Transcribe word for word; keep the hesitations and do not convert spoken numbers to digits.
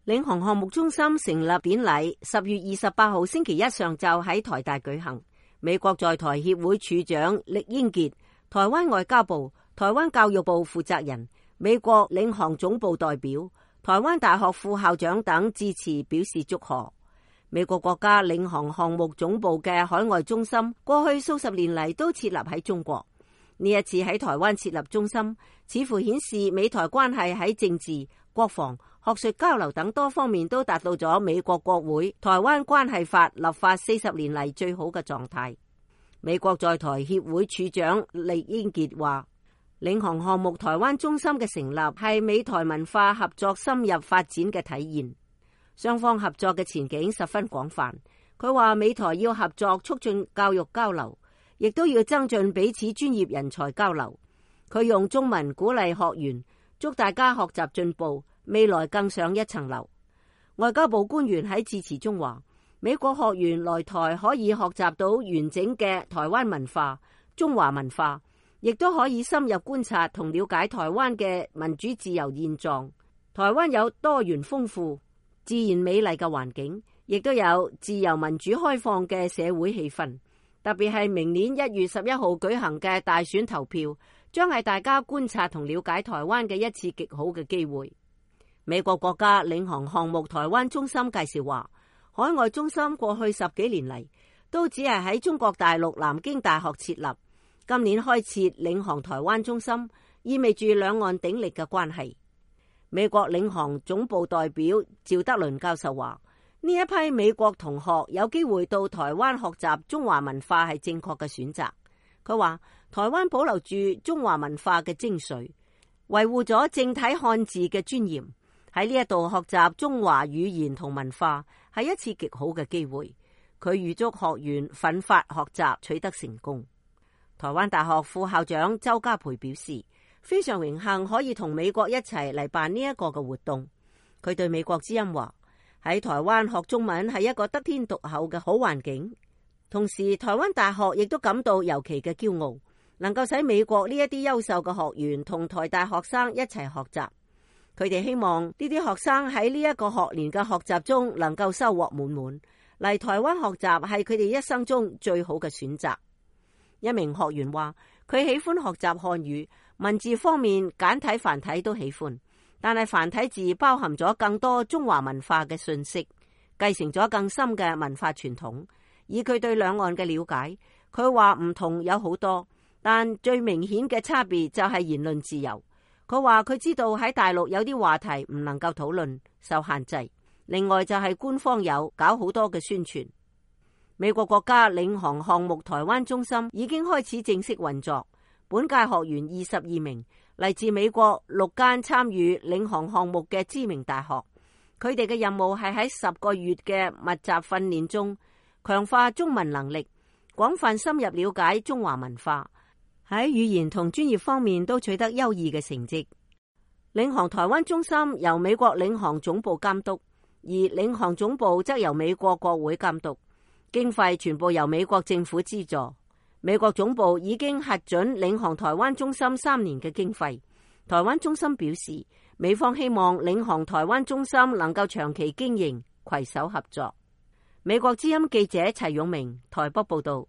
領航項目中心成立典禮十月二十八號星期一上晝喺台大舉行。美國在台協會處長酈英傑、台灣外交部、台灣教育部負責人、美國領航總部代表、台灣大學副校長等致辭表示祝賀。美國國家領航項目總部嘅海外中心過去數十年嚟都設立喺中國，呢一次喺台灣設立中心，似乎顯示美台關係喺政治、國防、學術交流等多方面都達到咗美國國會台灣關係法立法四十年嚟最好嘅狀態。美國在台協會處長酈英傑話，領航項目台灣中心嘅成立係美台文化合作深入發展嘅體現，雙方合作嘅前景十分廣泛。佢話美台要合作促進教育交流，亦都要增進彼此專業人才交流。佢用中文鼓勵學員，祝大家學習進步，未來更上一層樓。外交部官員喺致辭中話，美國學員來台可以學習到完整嘅台灣文化、中華文化，亦都可以深入觀察同了解台灣嘅民主自由現狀。台灣有多元豐富、自然美麗嘅環境，亦都有自由民主開放嘅社會氣氛。特別係明年一月十一號舉行嘅大選投票，將係大家觀察同了解台灣嘅一次極好嘅機會。美國國家領航項目台灣中心介紹話，海外中心過去十幾年嚟都只係喺中國大陸南京大學設立，今年開設領航台灣中心，意味住兩岸鼎力嘅關係。美國領航總部代表趙德麟教授話，呢一批美國同學有機會到台灣學習中華文化係正確嘅選擇。佢話台灣保留住中華文化嘅精髓，維護咗正體漢字嘅尊嚴。喺呢一度學習中華語言同文化係一次極好嘅機會。佢預祝學員奮發學習取得成功。台灣大學副校長周家培表示，非常榮幸可以同美國一齊嚟辦呢一個嘅活動。佢對美國之音話，喺台灣學中文係一個得天獨厚嘅好環境，同時台灣大學亦都感到尤其嘅驕傲，能夠使美國呢一啲優秀嘅學員同台大學生一齊學習。佢哋希望呢啲學生喺呢一個學年嘅學習中能夠收穫滿滿，嚟台灣學習係佢哋一生中最好嘅選擇。一名學員話，佢喜歡學習漢語，文字方面簡體繁體都喜歡，但係繁體字包含咗更多中華文化嘅信息，繼承咗更深嘅文化傳統。以佢對兩岸嘅了解，佢話唔同有好多，但最明顯嘅差別就係言論自由。佢話佢知道喺大陸有啲話題唔能夠討論，受限制。另外就係官方有搞好多嘅宣傳。美國國家領航項目台灣中心已經開始正式運作，本屆學員二十二名，嚟自美國六間參與領航項目嘅知名大學。佢哋嘅任務係喺十個月嘅密集訓練中，強化中文能力，廣泛深入了解中華文化，喺語言同專業方面都取得優異嘅成績。領航台灣中心由美國領航總部監督，而領航總部則由美國國會監督，經費全部由美國政府資助。美國總部已經核准領航台灣中心三年嘅經費。台灣中心表示，美方希望領航台灣中心能夠長期經營，攜手合作。美國之音記者齊勇明台北報道。